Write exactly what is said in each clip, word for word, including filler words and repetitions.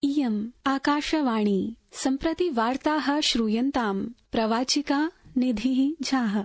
इयम् आकाशवाणी सम्प्रति वार्ताः श्रूयन्ताम् प्रवाचिका निधिः झाः।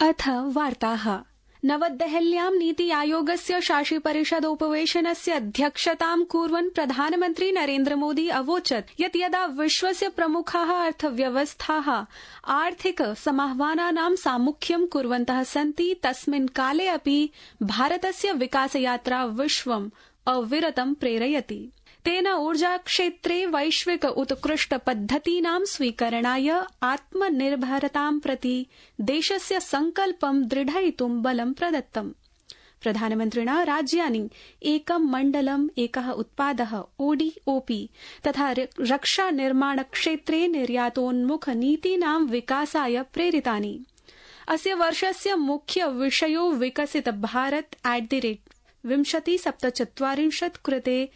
अथ वार्ताः। नवदेहल्यां नीति आयोगस्य शासि परिषदोपवेशनस्य अध्यक्षतां कुर्वन् प्रधानमन्त्री नरेन्द्र मोदी अवोचत् यत् यदा विश्वस्य प्रमुखाः अर्थव्यवस्थाः आर्थिक समाह्वानानां सामुख्यं कुर्वन्तः सन्ति तस्मिन् काले अपि भारतस्य विकासयात्रा विश्वम् अविरतं प्रेरयति। तेन ऊर्जाक्षेत्रे वैश्विक उत्कृष्ट पद्धतीनां स्वीकरणाय आत्मनिर्भरतां प्रति देशस्य संकल्पं दृढयितुं बलं प्रदत्तम्। प्रधानमन्त्रिणा राज्यानि एकं मण्डलम् एकः उत्पादः ओडीओपी तथा रक्षा निर्माण क्षेत्रे निर्यातोन्मुख नीतीनां विकासाय प्रेरितानि। अस्य वर्षस्य मुख्य विषयो विकसित भारत एट द रेट विंशति सप्तचत्वारिंशत् कृते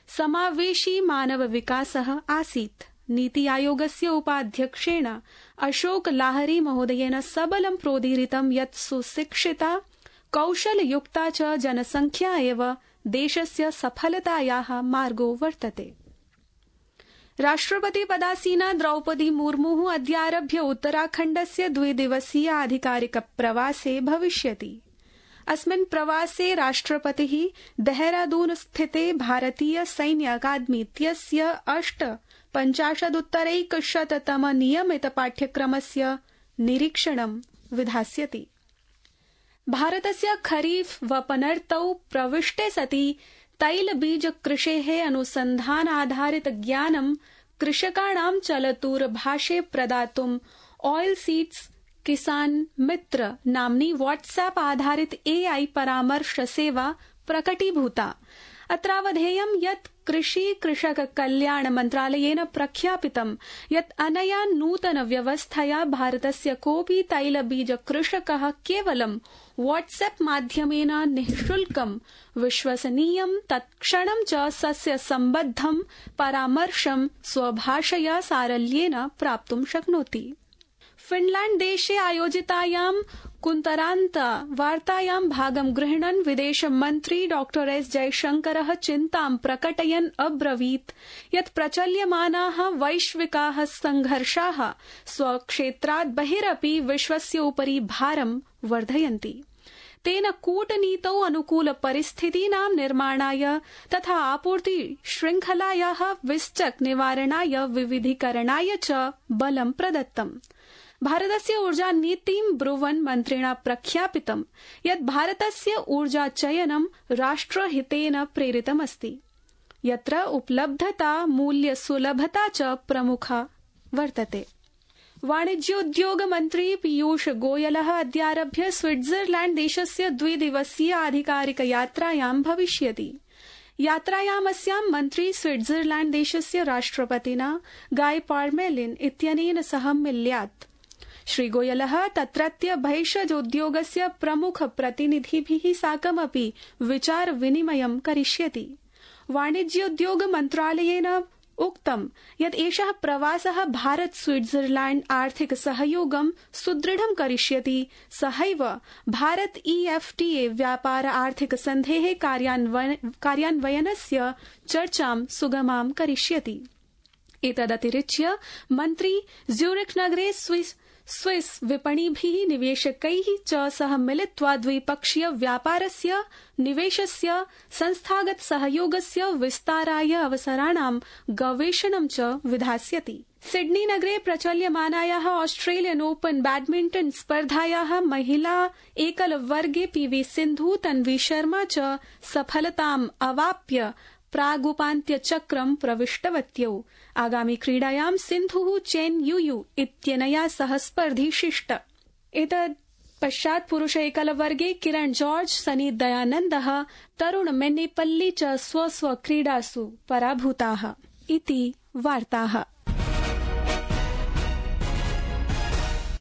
समावेशी मानव विकासः आसीत्। नीति आयोगस्य उपाध्यक्षेण अशोक लाहरी महोदयेन सबलं प्रोदीरितं यत् सुशिक्षिता कौशलयुक्ता च जनसंख्या एव देशस्य सफलतायाः मार्गो वर्तते। राष्ट्रपति पदासीना द्रौपदी मुर्मुः अद्यारभ्य उत्तराखण्डस्य द्विदिवसीय आधिकारिक प्रवासे भविष्यति। अस्मिन् प्रवासे राष्ट्रपतिः देहरादून स्थिते भारतीय सैन्य अकादमी इत्यस्य अष्ट पञ्चाशदुत्तरैकशततम नियमित पाठ्यक्रमस्य निरीक्षणं विधास्यति। भारतस्य खरीफ वपनर्तौ प्रविष्टे सति तैलबीज कृषेः अनुसन्धानाधारित ज्ञानं कृषकाणां चलतुरभाषे प्रदातुं ऑयल सीड्स किसान मित्र नाम्नी व्हाट्सएप आधारित एआई परामर्श सेवा प्रकटीभूता। अत्रावधेयं यत् कृषि कृषक कल्याण मन्त्रालयेन प्रख्यापितं यत् अनया नूतन व्यवस्थया भारतस्य कोऽपि तैलबीज कृषकः केवलं व्हाट्सएप माध्यमेन निःशुल्कं विश्वसनीयं तत्क्षणं च सस्य सम्बद्धं परामर्शं स्वभाषया सारल्येन प्राप्तुं शक्नोति। फिनलैंड देशे आयोजितायां कुन्तरान्त वार्तायां भागं गृह्णन् विदेश मन्त्री डॉक्टर एस जयशंकरः चिन्तां प्रकटयन् अब्रवीत् यत् प्रचल्यमानाः वैश्विकाः संघर्षाः स्वक्षेत्रात् बहिरपि विश्वस्य उपरि भारं वर्धयन्ति। तेन कूटनीतौ अनुकूल परिस्थितीनां निर्माणाय तथा आपूर्ति श्रृंखलायाः विश्चक निवारणाय विविधीकरणाय च बलं प्रदत्तम्। भारतस्य ऊर्जा नीतिं ब्रुवन् मन्त्रिणा प्रख्यापितं यत् भारतस्य ऊर्जा चयनं राष्ट्रहितेन प्रेरितमस्ति, यत्र उपलब्धता मूल्य सुलभता च प्रमुखा वर्तते। वाणिज्योद्योग मन्त्री पीयूष गोयलः अद्यारभ्य स्विट्जरलैंड देशस्य द्विदिवसीय आधिकारिक यात्रायां भविष्यति। यात्रायामस्यां मन्त्री स्विट्जरलैंड देशस्य राष्ट्रपतिना गाय पार्मेलिन इत्यनेन सह मिल्यात्। श्री गोयलः तत्रत्य भैषजोद्योगस्य प्रमुख प्रतिनिधिभिः साकमपि विचार विनिमयं करिष्यति। वाणिज्योद्योग मन्त्रालयेन उक्तं यत् एषः प्रवासः भारत स्विट्जरलैंड आर्थिक सहयोगं सुदृढं करिष्यति। सहैव भारत ईएफटीए व्यापार आर्थिक सन्धेः कार्यान्वयनस्य चर्चां सुगमां करिष्यति। एतदतिरिच्य मन्त्री ज्यूरिख नगरे स्विस स्विस विपणिभिः निवेशकैः च सह मिलित्वा द्विपक्षीय व्यापारस्य निवेशस्य संस्थागत सहयोगस्य विस्ताराय अवसराणां गवेषणं च विधास्यति। सिडनी नगरे प्रचल्यमानायाः ऑस्ट्रेलियन ओपन बैडमिंटन स्पर्धायाः महिला एकल वर्गे पीवी सिन्धु तन्वी शर्मा च सफलताम् अवाप्य प्रागुपान्त्यचक्रं प्रविष्टवत्यौ। आगामि क्रीडायां सिन्धुः चेन युयु इत्यनया सह स्पर्धिष्यति। एतद् पश्चात् पुरुष एकल वर्गे किरण जॉर्ज सनी दयानन्दः तरुण मेन्नेपल्ली च स्व स्व क्रीडासु पराभूताः इति वार्ताः।